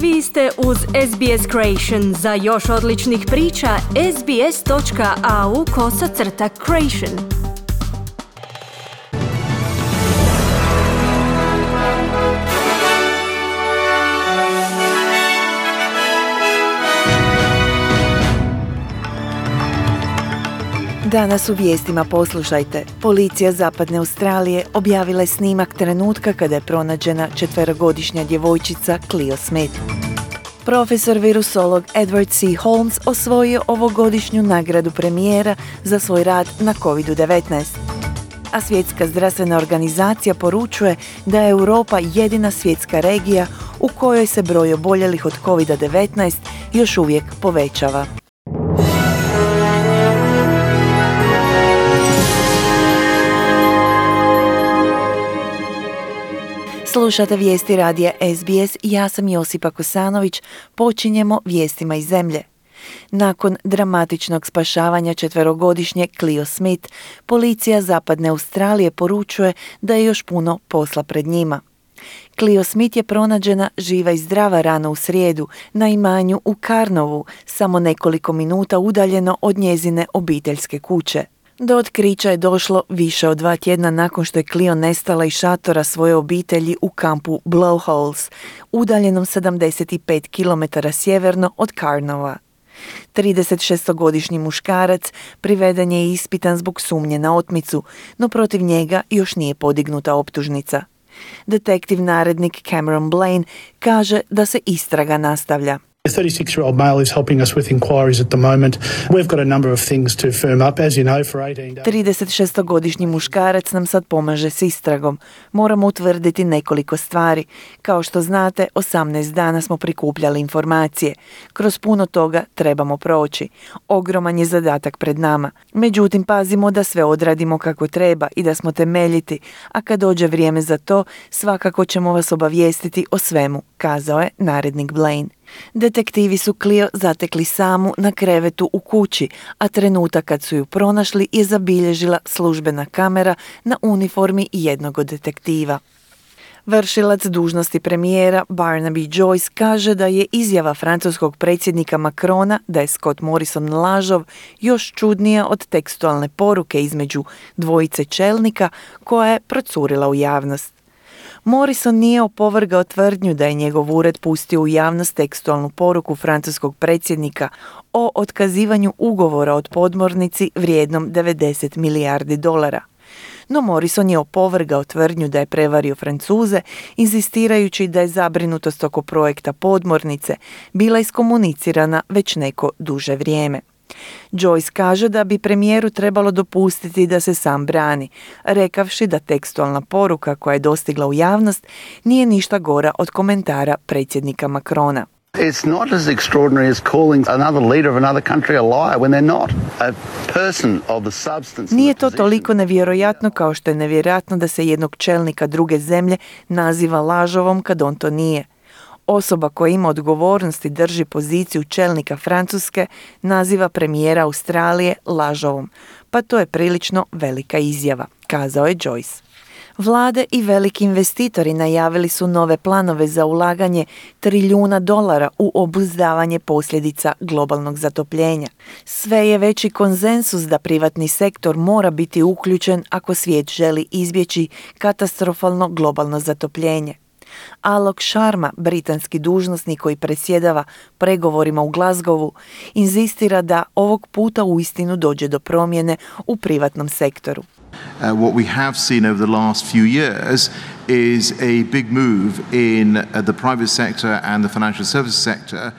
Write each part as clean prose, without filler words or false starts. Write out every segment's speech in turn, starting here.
Vi ste uz SBS Creation. Za još odličnih priča, sbs.au/creation. Danas u vijestima poslušajte. Policija Zapadne Australije objavila je snimak trenutka kada je pronađena 4-godišnja djevojčica Cleo Smith. Profesor virusolog Edward C. Holmes osvojio ovogodišnju nagradu premijera za svoj rad na COVID-19. A Svjetska zdravstvena organizacija poručuje da je Europa jedina svjetska regija u kojoj se broj oboljelih od COVID-19 još uvijek povećava. Slušate vijesti radija SBS, ja sam Josipa Kosanović, počinjemo vijestima iz zemlje. Nakon dramatičnog spašavanja 4-godišnje Cleo Smith, policija Zapadne Australije poručuje da je još puno posla pred njima. Cleo Smith je pronađena živa i zdrava rano u srijedu na imanju u Carnovu, samo nekoliko minuta udaljeno od njezine obiteljske kuće. Do otkrića je došlo više od 2 tjedna nakon što je Cleo nestala iz šatora svoje obitelji u kampu Blowholes, udaljenom 75 km sjeverno od Carnova. 36-godišnji muškarac priveden je i ispitan zbog sumnje na otmicu, no protiv njega još nije podignuta optužnica. Detektiv narednik Cameron Blaine kaže da se istraga nastavlja. The 36-year-old male is helping us with inquiries at the moment. We've got a number of things to firm up, as you know, for 18 days. 36-godišnji muškarac nam sad pomaže s istragom. Moramo utvrditi nekoliko stvari. Kao što znate, 18 dana smo prikupljali informacije. Kroz puno toga trebamo proći. Ogroman je zadatak pred nama. Međutim, pazimo da sve odradimo kako treba i da smo temeljiti, a kad dođe vrijeme za to, svakako ćemo vas obavijestiti o svemu, kazao je narednik Blaine. Detektivi su Cleo zatekli samu na krevetu u kući, a trenutak kad su ju pronašli je zabilježila službena kamera na uniformi jednog od detektiva. Vršilac dužnosti premijera Barnaby Joyce kaže da je izjava francuskog predsjednika Macrona da je Scott Morrison lažov još čudnija od tekstualne poruke između dvojice čelnika koja je procurila u javnost. Morrison nije opovrgao tvrdnju da je njegov ured pustio u javnost tekstualnu poruku francuskog predsjednika o otkazivanju ugovora od podmornici vrijednom 90 milijardi dolara. No Morrison je opovrgao tvrdnju da je prevario Francuze, inzistirajući da je zabrinutost oko projekta podmornice bila iskomunicirana već neko duže vrijeme. Joyce kaže da bi premijeru trebalo dopustiti da se sam brani, rekavši da tekstualna poruka koja je dostigla u javnost nije ništa gora od komentara predsjednika Macrona. It's not as extraordinary as calling another leader of another country a liar when they're not. A person of the substance. Nije to toliko nevjerojatno kao što je nevjerojatno da se jednog čelnika druge zemlje naziva lažovom kad on to nije. Osoba koja ima odgovornost i drži poziciju čelnika Francuske naziva premijera Australije lažovom, pa to je prilično velika izjava, kazao je Joyce. Vlade i veliki investitori najavili su nove planove za ulaganje $1 trilijuna u obuzdavanje posljedica globalnog zatopljenja. Sve je veći konsenzus da privatni sektor mora biti uključen ako svijet želi izbjeći katastrofalno globalno zatopljenje. Alok Sharma, britanski dužnosnik koji predsjedava pregovorima u Glasgowu, inzistira da ovog puta uistinu dođe do promjene u privatnom sektoru. What we have seen over the last few years is a big move in the private sector and the financial services sector.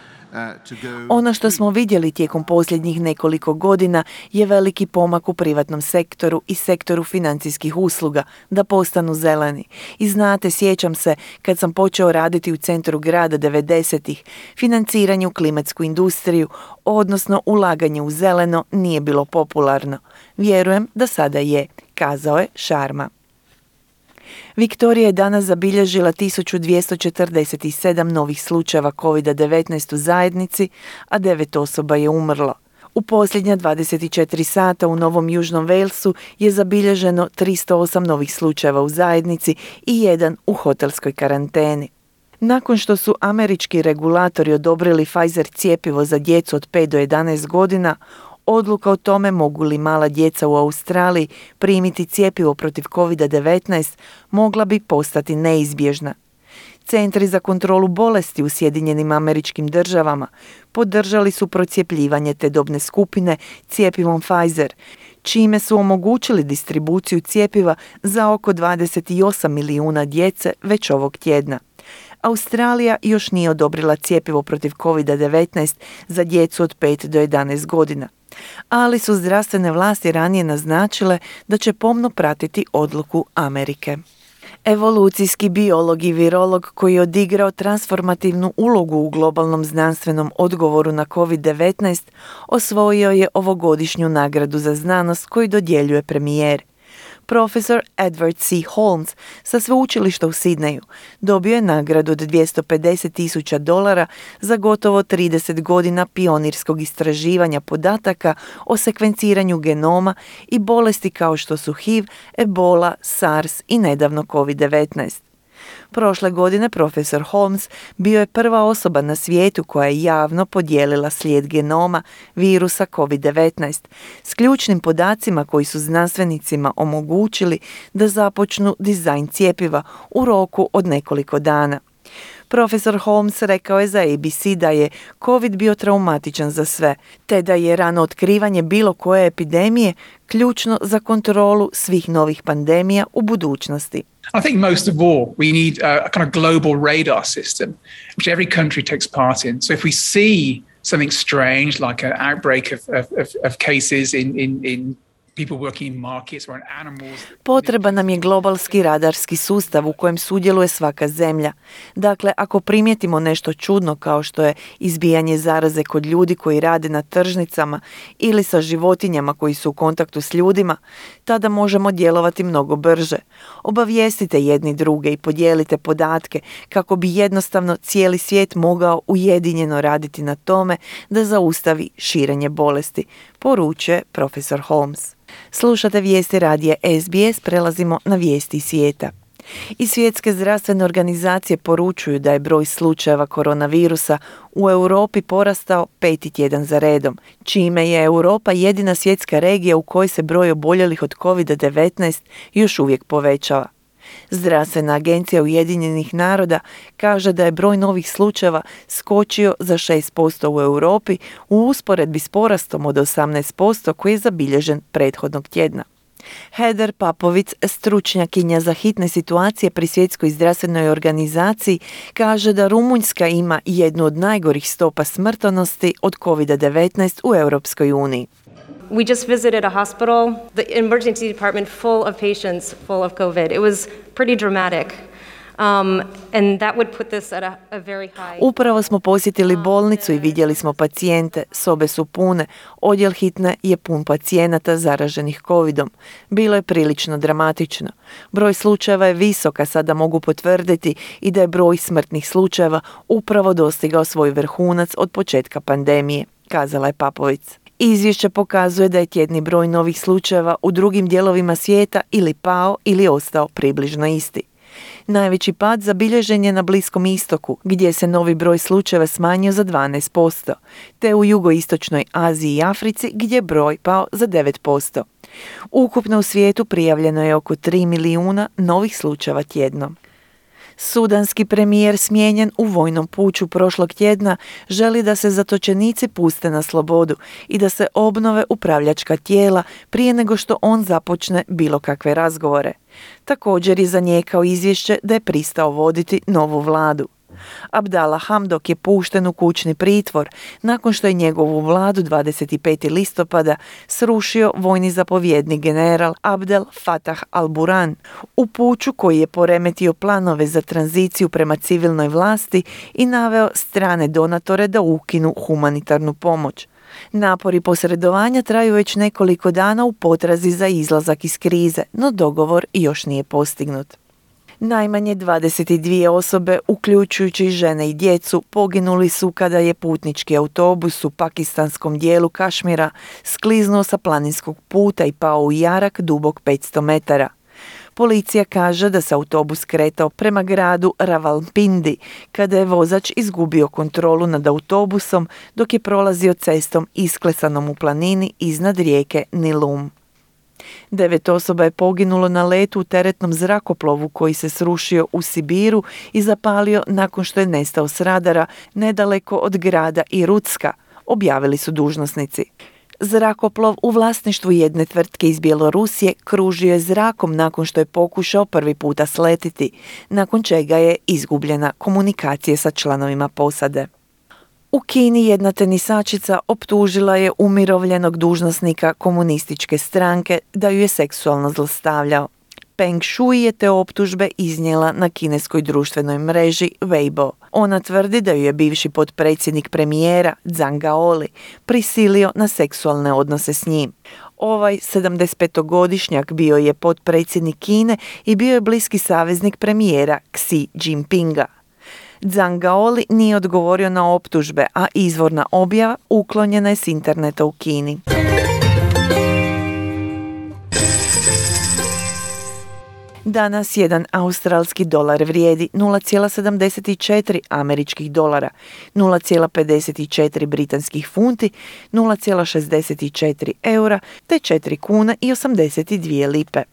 Ono što smo vidjeli tijekom posljednjih nekoliko godina je veliki pomak u privatnom sektoru i sektoru financijskih usluga da postanu zeleni. I znate, sjećam se kad sam počeo raditi u centru grada 90-ih, financiranje u klimatsku industriju, odnosno ulaganje u zeleno, nije bilo popularno. Vjerujem da sada je, kazao je Sharma. Viktorija je danas zabilježila 1247 novih slučajeva COVID-19 u zajednici, a 9 osoba je umrlo. U posljednja 24 sata u Novom Južnom Walesu je zabilježeno 308 novih slučajeva u zajednici i 1 u hotelskoj karanteni. Nakon što su američki regulatori odobrili Pfizer cjepivo za djecu od 5 do 11 godina, odluka o tome mogu li mala djeca u Australiji primiti cjepivo protiv COVID-19 mogla bi postati neizbježna. Centri za kontrolu bolesti u Sjedinjenim Američkim Državama podržali su procjepljivanje te dobne skupine cjepivom Pfizer, čime su omogućili distribuciju cjepiva za oko 28 milijuna djece već ovog tjedna. Australija još nije odobrila cjepivo protiv COVID-19 za djecu od 5 do 11 godina, ali su zdravstvene vlasti ranije naznačile da će pomno pratiti odluku Amerike. Evolucijski biolog i virolog koji je odigrao transformativnu ulogu u globalnom znanstvenom odgovoru na COVID-19 osvojio je ovogodišnju nagradu za znanost koju dodjeljuje premijer. Profesor Edward C. Holmes sa sveučilišta u Sidneju dobio je nagradu od $250,000 za gotovo 30 godina pionirskog istraživanja podataka o sekvenciranju genoma i bolesti kao što su HIV, Ebola, SARS i nedavno COVID-19. Prošle godine profesor Holmes bio je prva osoba na svijetu koja je javno podijelila slijed genoma virusa COVID-19 s ključnim podacima koji su znanstvenicima omogućili da započnu dizajn cjepiva u roku od nekoliko dana. Profesor Holmes rekao je za ABC da je COVID bio traumatičan za sve, te da je rano otkrivanje bilo koje epidemije ključno za kontrolu svih novih pandemija u budućnosti. I think most of all, we need a kind of global radar system, which every country takes part in. So if we see something strange, like an outbreak of cases in people working in markets or in animals. Potreban nam je globalski radarski sustav u kojem sudjeluje svaka zemlja. Dakle, ako primijetimo nešto čudno kao što je izbijanje zaraze kod ljudi koji rade na tržnicama ili sa životinjama koji su u kontaktu s ljudima, tada možemo djelovati mnogo brže. Obavijestite jedni druge i podijelite podatke kako bi jednostavno cijeli svijet mogao ujedinjeno raditi na tome da zaustavi širenje bolesti, poručuje profesor Holmes. Slušate vijesti radija SBS, prelazimo na vijesti svijeta. I Svjetske zdravstvene organizacije poručuju da je broj slučajeva koronavirusa u Europi porastao 5. tjedan za redom, čime je Europa jedina svjetska regija u kojoj se broj oboljelih od COVID-19 još uvijek povećava. Zdravstvena agencija Ujedinjenih naroda kaže da je broj novih slučajeva skočio za 6% u Europi u usporedbi s porastom od 18% koji je zabilježen prethodnog tjedna. Heather Papovic, stručnjakinja za hitne situacije pri Svjetskoj zdravstvenoj organizaciji, kaže da Rumunjska ima jednu od najgorih stopa smrtnosti od COVID-19 u Europskoj uniji. We just visited a hospital, the emergency department full of patients full of COVID. It was pretty dramatic. And that would put this at a very high. Upravo smo posjetili bolnicu i vidjeli smo pacijente, sobe su pune, odjel hitne je pun pacijenata zaraženih covidom. Bilo je prilično dramatično. Broj slučajeva je visok, a sada mogu potvrditi i da je broj smrtnih slučajeva upravo dostigao svoj vrhunac od početka pandemije, kazala je Papovic. Izvješće pokazuje da je tjedni broj novih slučajeva u drugim dijelovima svijeta ili pao ili ostao približno isti. Najveći pad zabilježen je na Bliskom istoku, gdje se novi broj slučajeva smanjio za 12%, te u jugoistočnoj Aziji i Africi gdje je broj pao za 9%. Ukupno u svijetu prijavljeno je oko 3 milijuna novih slučajeva tjedno. Sudanski premijer smijenjen u vojnom puču prošlog tjedna želi da se zatočenici puste na slobodu i da se obnove upravljačka tijela prije nego što on započne bilo kakve razgovore. Također je zanijekao izvješće da je pristao voditi novu vladu. Abdallah Hamdok je pušten u kućni pritvor nakon što je njegovu vladu 25. listopada srušio vojni zapovjednik general Abdel Fattah al-Burhan u puču koji je poremetio planove za tranziciju prema civilnoj vlasti i naveo strane donatore da ukinu humanitarnu pomoć. Napori posredovanja traju već nekoliko dana u potrazi za izlazak iz krize, no dogovor još nije postignut. Najmanje 22 osobe, uključujući žene i djecu, poginuli su kada je putnički autobus u pakistanskom dijelu Kašmira skliznuo sa planinskog puta i pao u jarak dubok 500 metara. Policija kaže da se autobus kretao prema gradu Rawalpindi kada je vozač izgubio kontrolu nad autobusom dok je prolazio cestom isklesanom u planini iznad rijeke Nilum. 9 osoba je poginulo na letu u teretnom zrakoplovu koji se srušio u Sibiru i zapalio nakon što je nestao s radara nedaleko od grada Irutska, objavili su dužnosnici. Zrakoplov u vlasništvu jedne tvrtke iz Bjelorusije kružio je zrakom nakon što je pokušao prvi puta sletiti, nakon čega je izgubljena komunikacija sa članovima posade. U Kini jedna tenisačica optužila je umirovljenog dužnosnika komunističke stranke da ju je seksualno zlostavljao. Peng Shui je te optužbe iznijela na kineskoj društvenoj mreži Weibo. Ona tvrdi da ju je bivši potpredsjednik premijera Zhang Gaoli prisilio na seksualne odnose s njim. Ovaj 75-godišnjak bio je potpredsjednik Kine i bio je bliski saveznik premijera Xi Jinpinga. Zhang Gaoli nije odgovorio na optužbe, a izvorna objava uklonjena je s interneta u Kini. Danas jedan australski dolar vrijedi 0,74 američkih dolara, 0,54 britanskih funti, 0,64 eura te 4 kuna i 82 lipe.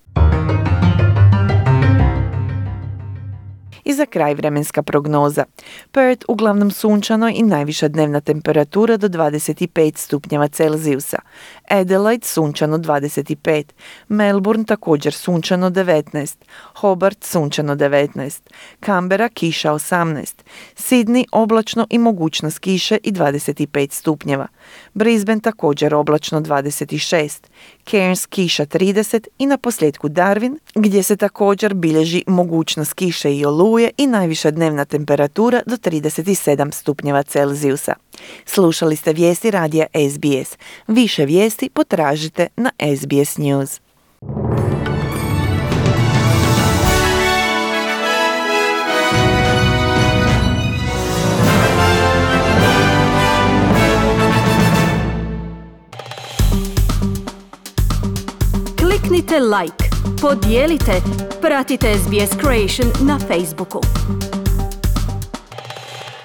I za kraj vremenska prognoza. Perth uglavnom sunčano i najviša dnevna temperatura do 25 stupnjeva Celzijusa. Adelaide sunčano 25. Melbourne također sunčano 19. Hobart sunčano 19. Canberra kiša 18. Sydney oblačno i mogućnost kiše i 25 stupnjeva. Brisbane također oblačno 26. Cairns kiša 30 i na posljedku Darwin gdje se također bilježi mogućnost kiše i oluje i najviša dnevna temperatura do 37 stupnjeva Celzijusa. Slušali ste vijesti radija SBS. Više vijesti potražite na SBS News. Kliknite like, podijelite, pratite SBS Creation na Facebooku.